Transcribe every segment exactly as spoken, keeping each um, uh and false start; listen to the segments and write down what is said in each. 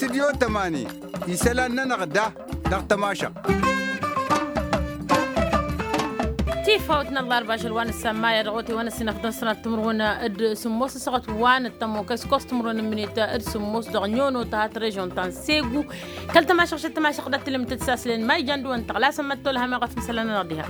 Tidyo tămani isălan-nănăɣ da dăɣ-tămašăɣt. Tifawt n-ăllarba ašăl wa n-ăssamaya dăɣ-otay wa n-ăssinafḍăn sănat timǝrwen d-sǝmmos ăsăɣăt wa n-ăttămokăy s-kos timǝrwen n-minit d-sǝmmos dăɣ-nyono tăhat režon ta n-segu. Kăl-tămašăɣt šăt tămašăɣt d-ad-tǝlǝm tǝtsaslăn ma ijan dăɣ-wăn tăɣlasăn măttolhăm i-ɣas n-isălan-nănăɣ diha.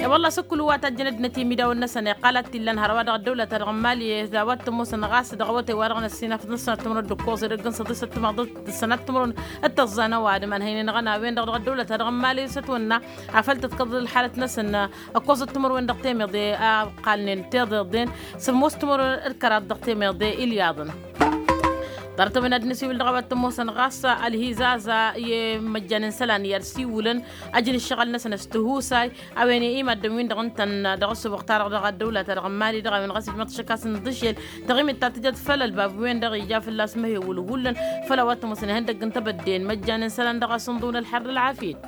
I-wălla s-ǝkkǝlu wa tajjăn ăddinăt i-imidawăn-năsăn iqqal ad-t-illăn hărwa dăɣ-ăddăwlăt-a-dăɣ n-mali d-a-wa t-tămoosăn ɣas dăɣ-awătay-wa-dăɣ n-ăssinafăḍ n-sănat timǝrwen d-ǝkkoẓ edăgg n-săḍisăt timǝrwen d-ǝssănat timǝrwen d-tăẓẓa n-ăwadǝm ănhăynen ăɣăna-wen-dăɣ dăɣ-ăddăwlăt-a-dăɣ n-mali s-ătwănna afăl tăt-kăḍ ălxalăt-năsăn ǝkkoẓăt timǝrwen dăɣ-temeḍe a ăqqalnen teḍeḍen sǝmmos timǝrwen d-kăraḍ dăɣ-temeḍe ilyaḍăn. Ḍarăt-a-wen ad-nǝsiwǝl dăɣ-a-wa t-ămoosăn ɣas ălhizaza i-imăjjan n-isălan i-ad-siwǝlăn ajăn ǝššăɣǝl-năsăn s-tihusay a-wen i-imaddǝn-win-dăɣ ǝntăn dăɣ-ăssuɣ ăxtarăɣ dăɣ-ăddăwlăt-a-dăɣ n-mali dăɣ-a-wen ɣas ijmăḍ tišăkkas n-dăšel taɣimit ta tǝjăt făll-ălbab-wen-dăɣ ija fălla-s măhewǝl hullan făll-a-wa t-ămoosăn ihăndăgg n-tebădde n-imăjjan n-isălan dăɣ-asǝnḍǝw n-ălḥer d-ălɣafyăt.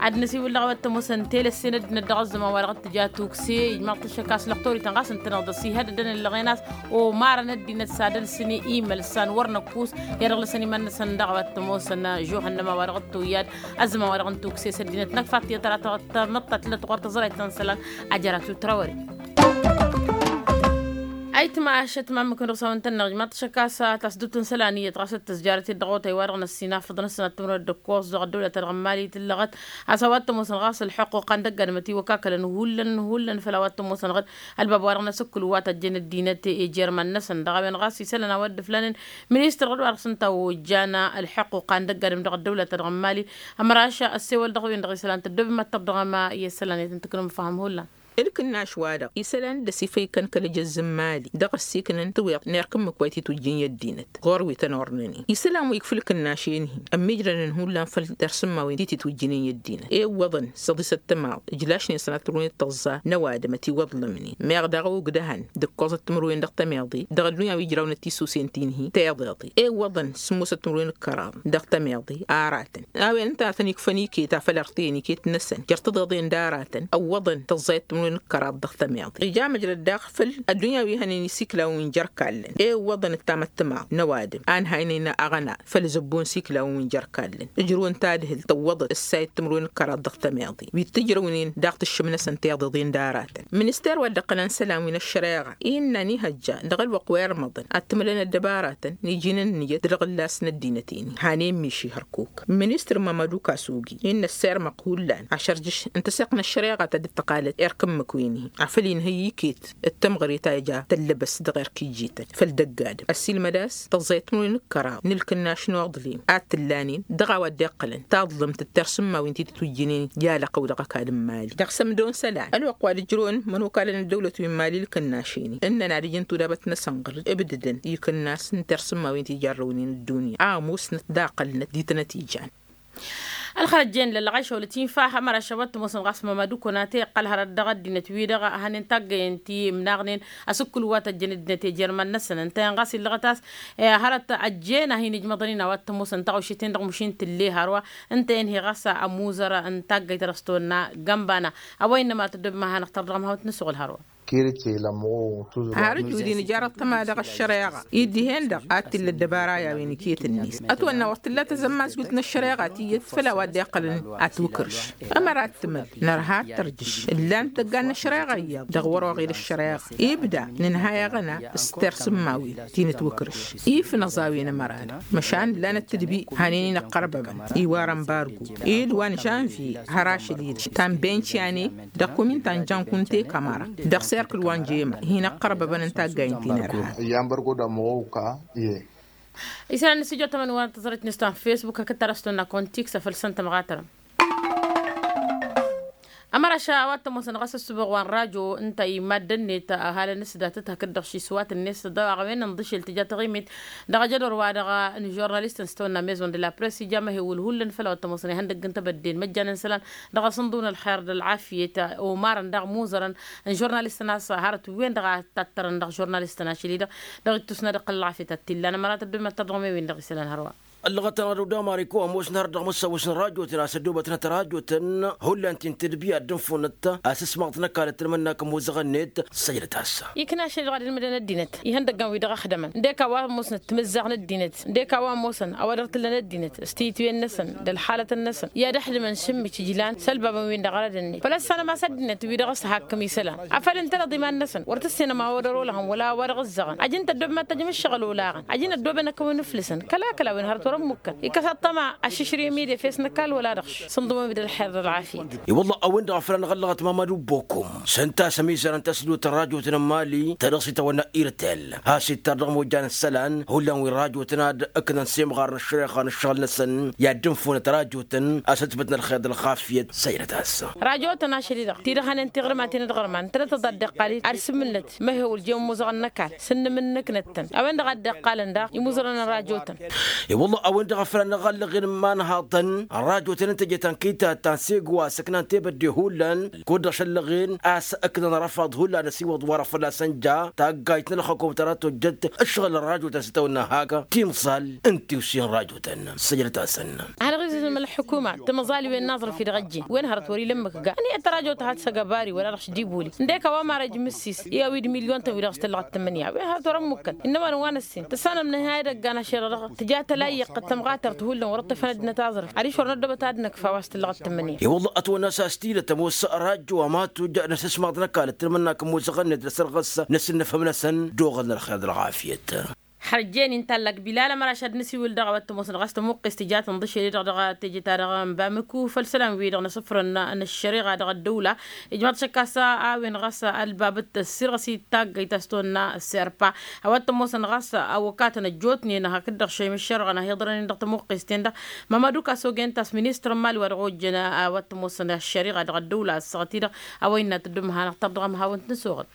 Ad-nǝsiwǝl dăɣ-a-wa t-ămoosăn telăsse n-ăddinăt dăɣ-ăzzăman wa dăɣ-t tǝja tukse ijmăḍ tišăkkas lăxtorităn ɣas ǝntăneḍ dăr-s ihădădăn ǝllăɣen a-s omarăn ăddinăt s-ad-ălsǝn i-imălsan wăr năkkus i-ad-ăɣlăsăn iman-năsăn dăɣ-a-wa t-ămoosăn žuhănnăma wa dăɣ-t tuyyad. Ăzzăman wa dăɣ-n tukse s-ăddinăt n-ăkfat tiyyăt ara tăɣ-tămăṭṭat tǝllăt ɣur-tăẓrayt n-isălan. Ajărat utrawăre. Ayǝtmašăt ma ǝmmǝk n-dăɣ-s a-wen tănneɣ ijmaḍ-t šăkk a-s tasdut n-isălan iyyăt ɣas d-tăzjarăt-dd dăɣ-otay wa dăɣ-năssinafăḍ n-ăssinat timǝrwen d-ǝkkoẓ dăɣ-ăddăwlăt-a-dăɣ n-mali tǝllăɣăt a-s a-wa t-ămoosăn ɣas ălḥuqq ăqqa n-dăgg-adǝm ătiwăkakălăn hullan hullan făll-a-wa t-ămoosăn ɣǝd ălbab wa dăɣ-năsǝkkǝl wa tăjjăn ăddinăt i-jerman-năsăn dăɣ-a-wen ɣas isălan a-wa dd-ǝflanen ministăr ɣǝd wa dăɣ-s ǝnta a ojjan ălḥuqq ăqqa n-dăgg-adǝm dăɣ-ăddăwlăt-a-dăɣ n-mali. Ămraš ăssewăl dăɣ-win-dăɣ isălan tăddob imăttăr dăɣ-ăma i-isălan i-tăn-tǝknǝm ǝfham hullan. Ǝlkǝnnaš-wa-dăɣ isălan d-ăsifăykăn kăl-ejăzz n-mali dăɣ-ăssiiknăn tǝwiḍt n-erk ǝmmǝk wa ititwǝjjǝn i-ăddinăt ɣur-wi tăn-ornănen isălan wi ikfǝl kǝnnaš-en-hi ămmiijrădăn hullan făll-tersǝmmawen ti titwǝjjǝnen i-ăddinăt ewwăḍăn săḍisăt timaḍ ǝjlašnen sănat tǝrwen d-tăẓẓa n-ăwadǝm ătiwăḍlămnen meɣ daɣ ogdăhăn d-ǝkkoẓăt timǝrwen dăɣ-tămeḍe dăɣ-ăddunya wi ǝjrawnet tisusen-tin-hi teḍeḍe ewwăḍăn sǝmmosăt timǝrwen d-kăraḍ dăɣ-tămeḍe aratăn a-wen ǝnta a tăn-ikfăn iket afăl ărtăyăn iket-năsăn jer-tǝḍeḍen d-aratăn ăwwăḍăn tăẓẓayăt timǝrwen d-kăraḍ dăɣ-tămeḍe ija măjrăd daɣ făll-ăddunya wi hănen isiklawăn jer-kallăn ewwăḍăn ǝttamăt timaḍ n-ăwadǝm a ǝnhaynen aɣăna făll-zăbbo n-isiklawăn wi n-jer-kallăn ǝjrǝwăn tadhǝlt tăwwăḍăt ǝssayăt timǝrwen d-kăraḍ dăɣ-tămeḍe wi t-ǝjrăwnen daɣ tǝššǝm-năsăn teḍeḍen d-aratăn minister wa dd-iqqălăn isălan wi n-ăššăreɣa innă ănihăjja dăɣ-ălwăqq wa irmăḍăn ad-tǝmǝlăn ăddăbaratăn iji n-ǝnniyăt d-ǝlɣǝllas n-ăddinăt-in-hi. Hanen miši hărkuk ministăr mămădu kasugi innă ăssirmăɣ hullan ašărjǝš n-tăseɣt n-ăššăreɣa ta dd-tăqalăt erk ǝmmǝk-wen-hi afăl inhǝy iket d-tămɣăre ta ija tăllăbăs dăɣ-erk ijjităn făll-dăgg-adǝm ăssiilmăd a-s tăẓẓayăt timǝrwen d-kăraḍ n-ǝlkǝnnaš n-uḍlim ad-t-ǝllanen dăɣ-a-wa dd-iqqălăn taḍlǝmt d-tersǝmmawen ti tǝtwǝjjǝnen i-alăqqăw dăɣ-ăkall n-mali dăɣ-sămdo n-isălan ălwăqq wa dd-ǝjrăwăn imănokalăn n-ăddăwlăt wi n-mali ǝlkǝnnaš-en-i ǝnnăn ad-ǝjǝn tudabăt-năsăn ɣǝr-dd ǝbdǝdăn ikǝnnas n-tersǝmmawen ti jarrăwnen ăddunya a ămoosnăt d-aqălnăt di tănăt ijan. Ălxărăt jen lălɣăy šăwălăt infa hămăra šăwăt tămoosăn ɣas mămădu kănate iqqăl hărăt dăɣ-ăddinăt wi-dăɣ a hănen taggăyăn ti ǝmnaɣnen asǝkkǝl wa tăjjăn ăddinăt i-jerman-năsăn ǝntăyăn ɣas illăɣăt a-s hărăt ăjjeen a hin-ijmăḍăn-in a-wa t-ămoosăn tăɣušeten dăɣ-mušin tǝlle hărwa ǝntăyăn hi-ɣas ămuzăr n-taggăyt dăɣ-s tonna gămbana. A-wa innă ma tăddob ma hanăɣ-tărdăɣ ma hawăt n-ăssoɣ ălhărwa. Har ǝjud-in ǝjarăt tăma dăɣ-ăššăreɣa id-dihen-dăɣ ad-t-illa ăddăbara i-a-wen iket-net ătwănna wăr t-tǝlla tazămmazgut n-ăššăreɣa tiyyăt făll-a-wa dd-iqqălăn ad-t-wǝkrǝš. Ămăra t-tǝmăd nărha ad-tărjǝš ǝllan tăgga n-ăššăreɣa iyyăḍ dăɣ-wăr-oɣil ăššăreɣa ibda nǝnhay aɣăna s-tersǝmmawen ti nǝtwǝkrǝš. Ifnăẓ a-wen ămăra-dăɣ măšan ǝllanăt tǝdbi hanen-in ăqqărbăbăn iwar ănbargo ed wa n-žănvye har ašăl-i-dăɣ ta n-benčyane dăɣ-kumin ta n-jănkunte kămăra dăɣ-serkǝl wa n-jema hin-ăqqărbăbăn n-taggayen ti n-ărha. Isălan n-sijotămăn wa n-tăẓrăt n-istan facebook hakd tarăstonna kontiks afăl săn tămɣatărăm. Ămăra šăwăt tămoosăn ɣas ăssubăɣ wa n-rajo ǝnta i-maddănnet ăhalăn s-datăt hakd dăɣ-šiswat-net s-dăɣ a-wen n-dăšel tǝja taɣimit dăɣ-ajădor wa dăɣ-n žurnalist n-stăwănna maison de la press ija măhewǝl hullan făll-a-wa t-ămoosăn ihăndăgg n-tebădde n-măjjan n-isălan dăɣ-asǝnḍǝw n-ălxer d-ălɣafyăt. Omarăn daɣ muzărăn n-žurnalist-năsăn hărăt wen-dăɣ a tattărăn dăɣ-žurnalist-năsăn ašăl-i-dăɣ dăɣ-ittus n-ad-iqqăl ălɣafyăt ad-t-illan ămăra tăddoy mad-tărdăɣ mewen dăɣ-isălan hărwa. Ăllăɣăt-tăn ad-ăwd amar ikăw ămoosnăr dăɣ-măssăwăs n-rajotăn a-s ăddoobătnăt rajotăn hullan ti n-tedbi ad-dd-ǝnfunăt a-s ǝsmaḍt n-ăkall d-tǝlmǝnna kămozăɣ-net. Săjdăt-as. Iknaš-dd dăɣ-edǝmmǝdăn ăddinăt ihăndăggăn wi dăɣ-ăxdămăn ǝndek a-wa ămoosnăt timǝzzaɣ n-ăddinăt ǝndek a-wa ămoosăn a-wa dăɣ-tǝllăn ăddinăt s-titwen-năsăn d-ălxalătăn-năsăn i-ad-ăxdǝmăn šǝmmǝj ijlan s-ălbabăn-win-dăɣ ărăd-net făl ăssanăm a-s ăddinăt wi dăɣ-s hakkăm isălan afăl ǝntăneḍ iman-năsăn wăr tǝssenăm a-wa dăr-olăɣăn wăla a-wa dăɣ-ǝzzăɣăn ajǝn tăddoobem ad-tăjjăm ǝššăɣǝl olaɣăn ajǝn ăddoobăn akăwăn ǝflǝsăn kăla-kăla a-wen hărăt wăr-ămmukkăn ikăs ăṭṭăma ăššǝšrǝyăm-dd efes n-ăkall wăla dăɣ-š sǝnḍǝmăm-dd ălxer d-ălɣafyăt. I-wălla a-wen-dăɣ a făl anăɣ-ăllăɣăt mamăd ubbokum s-ǝnta a-s ămizărăn tasdut n-rajotăn n-mali tadăɣ s-itawănna irtel a-s ittar dăɣ-imojjan n-isălan hullan wi n-rajotăn ad-ǝknăn s-imɣar n-ăššăreɣa n-ǝššăɣǝl-năsăn i-ad-dd-ǝnfunăt rajotăn a-s ǝtbǝtnă ălxer d-ălxafyăt. Săjdăt-as. Rajotăn ašăl-i-dăɣ ti-dăɣ hănen tiɣrǝmaten d-iɣărman tărătăḍ ad-dd-iqqal-dd ad-sǝmmǝlnăt măhewăl jemuzăɣăn n-ăkall s-ǝnnǝmǝnnǝknăt-tăn a-wen-dăɣ a dd-iqqalăn daɣ imuzărăn n-rajotăn. I-wălla a-wen-dăɣ a făl anăɣ-allăɣen n-imanhaḍăn n-rajotăn n-teje ta n-kitat ta n-segwa s-ǝknan tebădde hullan kud-dăɣ šăllăɣen a-s ǝknăn răfaḍ hullan ăsiwăḍ wa-dăɣ fălla-săn ja taggayt n-ălxăkom ta dăɣ-tojjăt ǝššăɣǝl n-rajotăn s-itawănna hak timẓal n-tiwse n-rajotăn. Săjdăt-asăn. Hanăɣ-izǝzǝm ălḥukuma timẓal-wen n-aẓrǝf-i-dăɣ ăjjeen wen hărăt wăr-ila ǝmmǝk ga ănihăt tărajot ad-săgăbari wăla dăɣ-s dibuli ǝndek a-wa marăj mǝssis i-a-wi d-milyun-tăn wi dăɣ-s tǝllăɣăt tǝmmǝnǝya wen hărăt wăr-ămmǝkkăn innă ămanăn wa n-ăssin tǝssanăm nǝhaya idăggan ašăl-dăɣ tǝja tăla iyyăqqăt tămɣatărt hullan wăr-ǝṭṭǝfăn ăddinăt aẓrǝf adiš wăr năddobăt ad-nǝkf a-wa s-tǝllăɣăt tǝmmǝnǝya. I-wălla ătwănna a-s tidăt ămoos rajo amatoj n-asǝsmaḍ n-ăkall d-tǝlmǝnna kămmuzăɣ-net d-asărɣăs n-asǝnnǝfhǝm-năsăn d-oɣăl n-ălxer d-ălɣafyăt. Hărjen-i n-tallak bilal ămăraš ad-nǝsiwǝl dăɣ-a-wa t-ămoosnăɣ a-s tămuqqes tǝja tǝnḍǝšel-i-dăɣ dăɣ-teje-ta-dăɣ n-bamǝku făll-isălan-wi-dăɣ n-asǝfrăn n-ăššăriɣa dăɣ-ăddăwla. Ijmaḍ šăkk a-s a-wen ɣas ălbab d-tăssirɣăs i-taggăyt a-s tonna serpa a-wa t-ămoosăn ɣas awăkatăn ăjjootnen hakd-dăɣ šem ǝššărɣăn a hi-iḍrănen dăɣ-tămuqqes-ten-dăɣ. Mămăduk a-s ogen ta s-ministăr n-mali wa dăɣ-ojjăn a-wa t-ămoosăn ăššăriɣa dăɣ-ăddăwla ăssaɣăt-i-dăɣ a-wa innă tăddum hanăɣ-tărdăɣăm hawăn-t-nǝsoɣăl.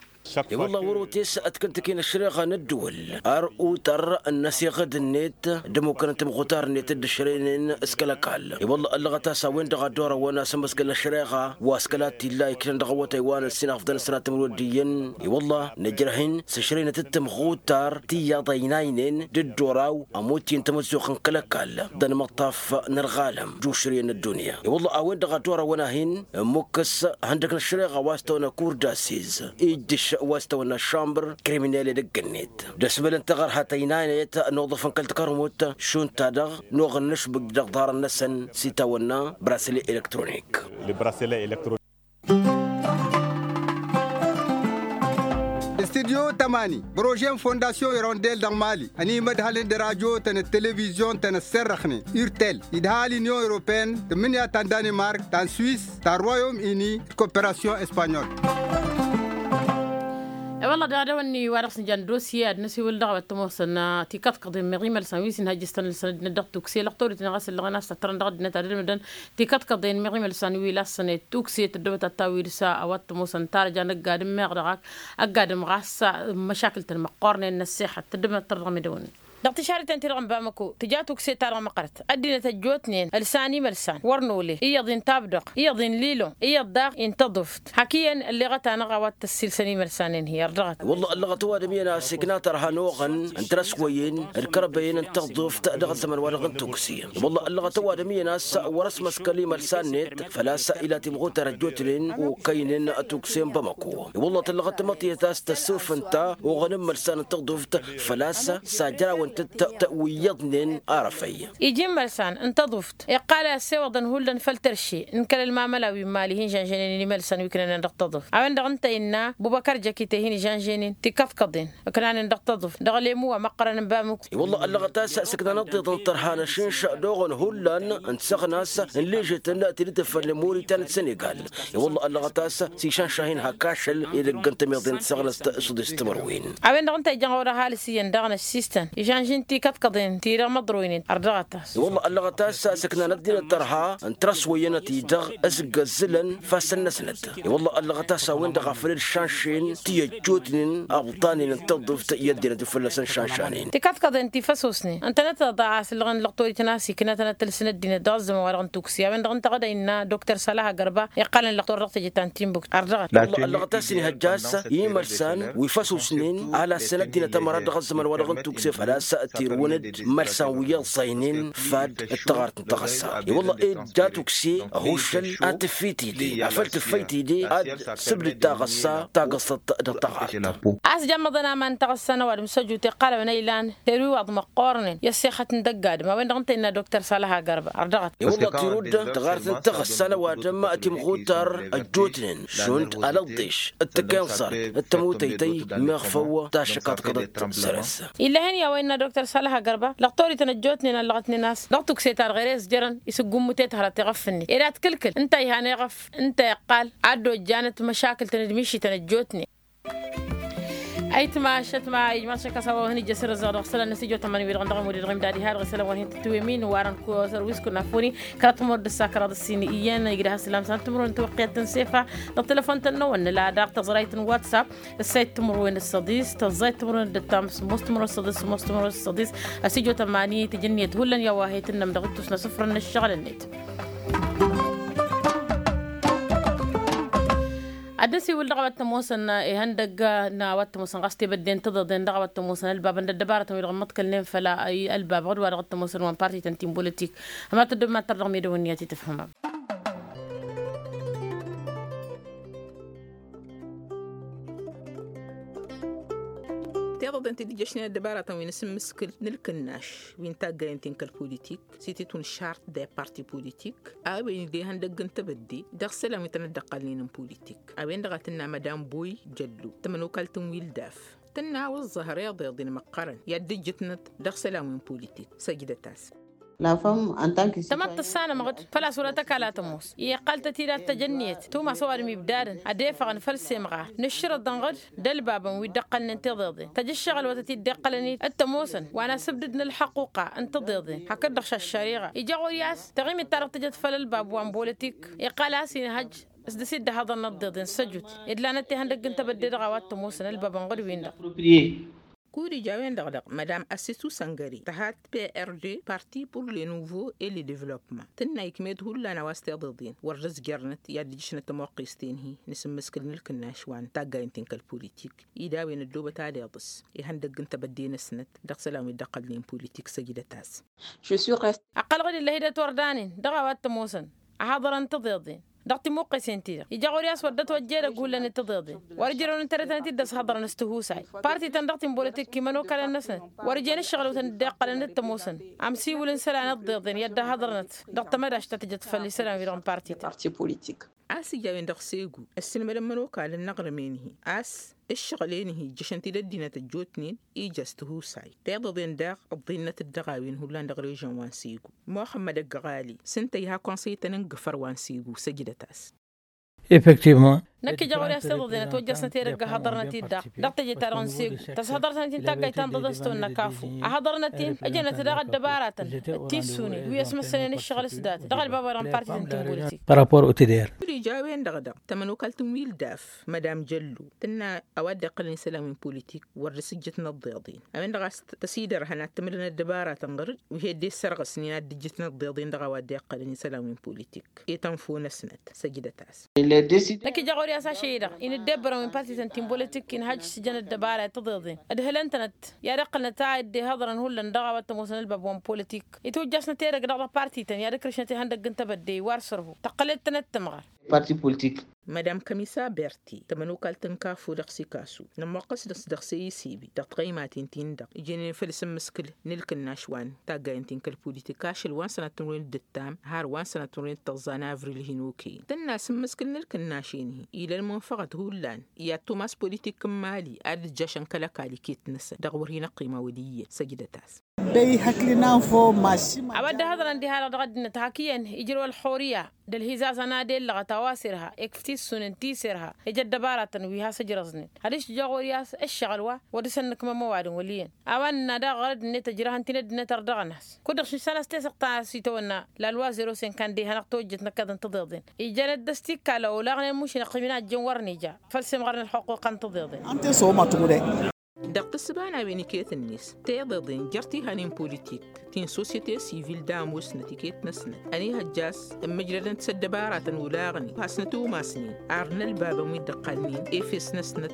I-wălla wăr-otesăt kǝntǝken ăššăreɣa n-ǝddǝwǝl ar utăr n-ăsiɣǝd-net d-ămmukăn n-timɣutar-net dd-ǝšrăynen s-kăl-ăkall. I-wălla ăllăɣăt a-s a-wen-dăɣ a dd-orăwăn asǝmmǝskǝl n-ăššăreɣa wa s-kăla t-illa iknăn dăɣ-awătay wa n-ăssin afḍăn s-sănatăn wăr-dd-iyyăn. I-wălla nǝjrăh-in s-ǝšrăynăt d-timɣutar tiyyăḍ ăynaynen d-ǝddoraw ămootǝyăn tamǝzzuɣt n-kăl-ăkall d-anmăṭṭaf n-ălɣalăm jušrǝyăn n-ăddunya. I-wălla a-wen-dăɣ a dd-orăwăn a hin-ǝmmukǝs ihăndăg n-ăššăreɣa wa s-tawănna kur d-asiz ijjǝš wa s-tawănna ăššambăr kriminel edăgg-net d-ăsmălăn taɣărha tăynaynet n-oḍăf n-kăl-takărmut šund ta-dăɣ n-oɣăn n-ašbǝk dăɣ-iḍarăn-năsăn s-itawănna brasele elektronik. Studyo tămani bărožen fondasyon irondel dăɣ-mali ănimădhălăn d-rajo-tăn d-televizyon-tăn ăssărrăxnen urtel idha l-inyon europeen tǝmmǝnǝya ta n-danimark ta n-swis ta n-royom ini d-koperasyon espanyol. E-wălla dăɣ-dăwănni wa dăɣ-s nǝjan dosye ad-năsiwǝl dăɣ-a wa t-ămoosăn tikăḍkăḍen meɣ imălsan wi s-inhăjjăstăn lăsăn ăddinăt dăɣ-tukse lăxtorit-net ɣas ǝllăɣen a-s tăttărăn dăɣ-ăddinăt ad-ălmǝdăn tikăḍkăḍen meɣ imălsan wi lasănet tukse tăddobăt ad-tawǝy dăɣ-s a-wa t-ămoosăn tarăja n-ăgg-adǝm meɣ dăɣ-ak ăgg-adǝm ɣas măšakǝl-tăn măqqoornen n-ăssexăt tăddobăt ad-tăr dăɣ-medăwănne. Dăɣ-tišariten-ti-dăɣ n-bamăko tǝja tukse-ta-dăɣ măqqărăt ăddinăt ăjjootnen ǝlsan imălsan wăr nole iyyăḍ inta abdăɣ iyyăḍ inlilon iyyăḍ daɣ intăḍuft hak iyyăn ălleɣăt-anăɣ a-wa t-ăssiilsăn imălsanen hi-ărdăɣăt. Wălla ăllăɣăt ăwadǝm iyyăn a-s ikna tărha n-oɣăn n-tărăswăyen d-kărbăyen n-tăḍuft dăɣ-ăzzăman-wa-dăɣ n-tukǝsi. Wălla ăllăɣăt ăwadǝm iyyăn a-s wăr-ăsmăskăl imălsan-net făl-a-s ila timɣutar ăjjootnen okăynen tukǝse n-bamăko. Wălla tăllăɣăt tamăḍt iyyăt a-s tăssufǝnta oɣăn n-imălsan n-tăḍuft făl-a-s sajrawăn-tăt-tăwiyyăḍnen arăfăy. Iji n-imălsan n-tăḍuft iqqal a ăssewăḍăn hullan făll-tărše n-kăl-ălmamăla wi n-mali hin-žănžănen inimălsan wi ǝknănen dăɣ-tăḍuft a-wen-dăɣ ǝnta innă bubăkăr jăkite hin-ižănžănen tikăḍkăḍen ǝknanen dăɣ-tăḍuft dăɣ-lemu wa măqqărăn n-bamuk. I-wălla ăllăɣăt a-s s-ǝknan ăḍḍeḍ n-tărha n-ašǝnš d-oɣăn hullan n-tisaɣnas n-ležetăn ti dd-tǝffălnen muritan d-sănegal. I-wălla ăllăɣăt a-s s-išănša hin-hak ašăl edăgg n-tămiḍe n-tisaɣnăst s-dd-s timărwen. A-wen-dăɣ ǝnta ijăn ɣur-ăhalǝs iyyăn daɣ n-ăssistăn ižănžin tikăḍkăḍen ti-dăɣ măḍroynen ărdăɣăt-as. I-wălla ăllăɣăt a-s s-ǝknan ăddinăt tărha n-tărăswăyăn ti-dăɣ s-găzzǝlăn ifassăn-năsnăt. I-wălla ăllăɣăt a-s a-wen-dăɣ a făl dd-šanšen ti ăjjootnen aḍḍanen n-tăḍuft i-ăddinăt wi fălla-săn šanšanen. Tikăḍkăḍen ti făsosnen ǝntănăt a-s ǝllăɣăn lăqtorităn a-s iknatăn ad-tălsǝn ăddinăt dăɣ-ăzzăman-wa-dăɣ n-tukǝsi a-wen-dăɣ ǝnta ɣǝd a innă dokter salaha gărba iqqalăn lăqtor dăɣ-teje ta n-tinbuk ărdăɣăt. Wălla ăllăɣăt a-s inihăjja a-s imărsan wi făsosnen a lassăn ăddinăt ămăra dăɣ-ăzzăman-wa-dăɣ n-tukǝse făl-a-s Tirwǝnăd mălsan wi iẓẓaynen fad d-taɣart n-taɣăssa. I-wălla ed ja tukse ăhuššăl ad-tǝffǝy tide afăl tǝffăy tide ad-sǝbdǝd taɣăssa tagăẓtăt. D-taɣart. A-s jammăḍăn aman n-taɣăssa n-ăwadǝm s-ăjut iqqal a-wen a ilan terwiwaḍ măqqoornen i-ăssexăt n-dăgg-adǝm a-wen-dăɣ ǝnta innă doktor salaha gărba ărdăɣăt. I-wălla tirudda taɣart n-taɣăssa n-ăwadǝm timɣutar ăjjootnen šund alăḍḍeš d-takenẓart d-tămutăytăy meɣ făw tašăkaḍkăḍăt. Săr-s. Ill'-e-hen i-a-wa innă doktor salaha gărba dăɣ-torităn ăjjootnen allăɣătnen a-s dăɣ-tukse ta dăɣ-ere ǝzjărăn isǝggummǝtet hărăt iɣăf-net ed ad-t-kǝlkǝl ǝnta a ihan iɣăf ǝnta iqqal ad-dd-ojjanăt măšakǝl-tăn d-mišităn ăjjootnen. Ayǝtma ašătma ijmaḍ šăkk a-s a-wa hin-ijjăsăr ăzzaɣ dăɣ-isălan n-asijotămăn-wi-dăɣ n-dăɣ-ămud-i-dăɣ imdad iha dăɣ-isălan wa hin-tǝtwǝyăm-in wa rănkăwăsăr wi s-kănafuni kăraḍ timurăwt d-ǝssa kăraḍ ǝssin iyyăn igdăh ăslam s-han timurăwt n-tawăqqiyăt n-sefa. Dăɣ-telăfon-tăn-năwăn nǝla daɣ tăẓrayt n-whatsapp ǝssayt timurăwen d-săḍis tăẓẓayt timurăwen d-ǝttam s-mos timurăwen d-săḍis s-mos timurăwen d-săḍis. Ăsijotămani tǝjǝnniyăt hullan i-a-wa he-tǝnnăm dăɣ-ittus n-asǝfrăn n-ǝššăɣǝl-net. Ad-nǝsiwǝl dăɣ-a-wa t-ămoosăn ihăndăg n-a-wa t-ămoosăn ɣas tebădde n-tiḍeḍen dăɣ-a-wa t-ămoosăn ălbabăn d-ăddăbarătăn wi-dăɣ ămmăḍkălnen făll-ălbab ɣud-wa-dăɣ t-ămoosăn wa n-partităn ti n-bolotik. Ămatăddom ma t-ărdăɣ medăwăn i-ad-t-tǝfhǝmăm. Tiḍeḍen ti dd-ijjăšnen ăddăbaratăn wi n-asǝmmǝskǝl n-ǝlkǝnnaš wi n-taggayen ti n-kăl-politik s-ititwǝn šart de parti politik a-wen dd-ihăndăgg n-tebădde dăɣ-isălan wi tăn-dd-ăqqălnen n-politik. A-wen-dăɣ a tǝnna madam boy jăllo tămănokalt n-wildaf tǝnna a-wa ǝẓẓăhăr iḍeḍen măqqărăn i-ad-dd-ǝjjǝtnăt dăɣ-isălan wi n-politik. Săjdăt-as. Tamăḍt tǝssanămăɣ-dd făl-a-s wăla tăkala tămoos iqqal-tăt-dd ad-tăj ǝnniyăt tumas ăwadǝm ibdadăn ad-efăɣăn făll-semɣar n-ǝššǝrǝḍ-dăɣ d-ălbabăn wi dd-ăqqălnen tiḍeḍen tăj ǝššăɣǝl wa tăt-dd-iqqălăn-dd d-tămoosăn wa n-asǝbdǝd n-ălḥăqquqa n-tiḍeḍen hakd-dăɣ šaššariɣa ija ɣur-i a-s taɣimit-ta-dăɣ tǝjăt făll-ălbab wa n-bolotik. Iqqal a-s inhăjj s-dd-s-dd-ăhhăḍărnăt tiḍeḍen s-ăjut ed lanăt ihăndăgg n-tebădde dăɣ-a-wa t-ămoosăn ălbabăn ɣud-win-dăɣ. Kud ija a-wen-dăɣ dăɣ madam assesu săngăre tăhat prd parti pour le nouveau et le developpement tǝnna ikm'-ed hullan a-wa s-tiḍeḍen wăr dd-ăzjărnăt i-ad-dd-ǝjjǝšnăt tămoqqest-en-hi n-asǝmmǝskǝl n-ǝlkǝnnaš wa n-taggayen ti n-kăl-politik. Id'-a-wen ăddoobăt ad-iḍǝs ihăndăgg n-tebădde-năsnăt dăɣ-isălan wi dd-ăqqălnen politik. Săjdăt-as. Ăqqălăɣ-dd illa hi-dd-ătwărdanen dăɣ-a-wa t-ămoosăn ăhaḍărăn tiḍeḍen dăɣ-timuqqesen-ti-dăɣ ija ɣur-i a-s wăr dd-ătwăjja edăgg hullan i-tiḍeḍen wăr ǝjrăwnen tărătăn ad-t-dd-ăshaḍărăn s-tihusay. Parti-tăn dăɣ-ti n-bolotik iman okălăn-năsnăt wăr ǝjen ǝššăɣǝl wa tăn-dd-iqqălăn d-tămoosăn amsiwǝl n-isălan iḍeḍen i-ad-dd-ăhaḍărnăt dăɣ-tamădašt ta tǝjăt făll-isălan-wi-dăɣ n-parti-tăn. A-s ija a-wen-dăɣ segu ăssinmădăn imănokalăn n-aɣrǝm-en-hi a-s ǝššăɣǝl-en-hi ǝjjăšăn-t-dd ăddinăt ăjjootnen ija s-tihusay tiḍeḍen daɣ ǝḍḍinnăt-dd dăɣ-a-wen hullan dăɣ-režăn wa n-segu. Muxămmăd ăggăɣali s-ǝnta iha konsăy-tăn n-gǝfăr wa n-segu. Săjdăt-as. Effectivement. Năkk ija ɣur-i a-s tiḍeḍen ătwăjjăsnăt edăgg ăhhăḍărnăt-dd daɣ dăɣ-teje-ta-dăɣ n-segu tăshăḍărtăn-in taggayt ta n-iḍăḍăn s-tăwănna kafu ăhhăḍărnăt-in ăjănăt daɣ ăddăbaratăn d-tissunen wi ăsmăssănen ǝššăɣǝl s-dat dăɣ-ălbabăy-dăɣ n-partităn ti n-bolotik. Par rapport utdr. Ija a-wen-dăɣ daɣ tămănokalt n-wildaf madam jăllo tǝnna a-wa dd-iqqălăn isălan wi n-politik wăr dăr-s ǝjjǝtnăt tiḍeḍen. A-wen-dăɣ a-s tăsidărhăn ad-tǝmǝlăn ăddăbaratăn ɣǝr-dd wi he-dd-e-issărɣǝsnen ad-dd-ǝjjǝtnăt tiḍeḍen dăɣ-a-wa dd-iqqălăn isălan wi n-politik. I-tăn-fo-năsnăt săjdăt-as. Năkk ija ɣur-i a-s ašăl-i-dăɣ inǝddebărăn wi n-partităn ti n-bolotik inhăjj s-ǝjăn ăddăbara i-tiḍeḍen ǝdhǝlăn-tănăt i-ad-iqqǝlnăt a dd-ihaḍărăn hullan dăɣ-a-wa t-ămoosăn ălbab wa n-politik. Itwǝjjasnăt edăgg dăɣ-partităn i-ad-ǝkrǝšnăt ihăndăgg n-tebădde iwar sărhu tăqqăl-dd-tănăt tǝmɣăr. Parti politik. Madam kămisa berti tămănokalt n-kafu dăɣ-sikasu nămmoqqăs dăɣ-s dăɣ-se isibi dăɣ-tiɣăymaten-tin-dăɣ ǝjǝnen făll-asǝmmǝskǝl n-ǝlkǝnnaš wa n-taggayen-tin kăl-politik ašăl wa n-sănatăn wen dd-ǝttam har wa n-sănatăn wen dd-tăẓẓa n-avril hin-okăyăn tǝnna asǝmmǝskǝl n-ǝlkǝnnaš-en-hi ila ălmunfăɣăt hullan i-ad-tumas politik n-mali ad-ǝjjašăn kăl-ăkall iket-năsăn dăɣ-wăr hin-ăqqima wăl' iyyăn. Săjdăt-as. A-wa dd-ăhhăḍărăn diha-dăɣ dăɣ-ăddinăt hak iyyăn ijrăw ălxurǝya d-ălhizazăn ad-ellăɣăt a-wa s-irha ikf tissunen ti s-irha ija ăddăbaratăn wi has-ǝjrăẓnen. Ad-ǝššǝjăɣ ɣur-i a-s ǝššăɣǝl wa wăr dăr-s ănnǝkmăm ăwadǝm wăl' iyyăn. A-wa nǝnna daɣ ɣărăd-net ăjrăhăn-t-in ăddinăt ărdăɣăn a-s kud-dăɣ šǝššan a-s tesăɣt ta s-itawănna lalwa zero cinquante d-hanăɣ-tojjăt năkkăḍăn tiḍeḍen. Ija năddăs tikkala olaɣnen mušin ăqqǝmin a ăjjăn wăr nija făll-semɣărăn ălxuqquqa n-tiḍeḍen. Dăɣ-tǝssǝba n-a-wen iket-net tiḍeḍen jer-tihanen politik ti n-sosyete sivil d-ămoosnăt iket-năsnăt ănihăjja a-s ǝmmǝjrădăn-t s-ăddăbaratăn olaɣnen hasnăt umasnen ar n-ălbabăn wi dd-ăqqalnen efes-năsnăt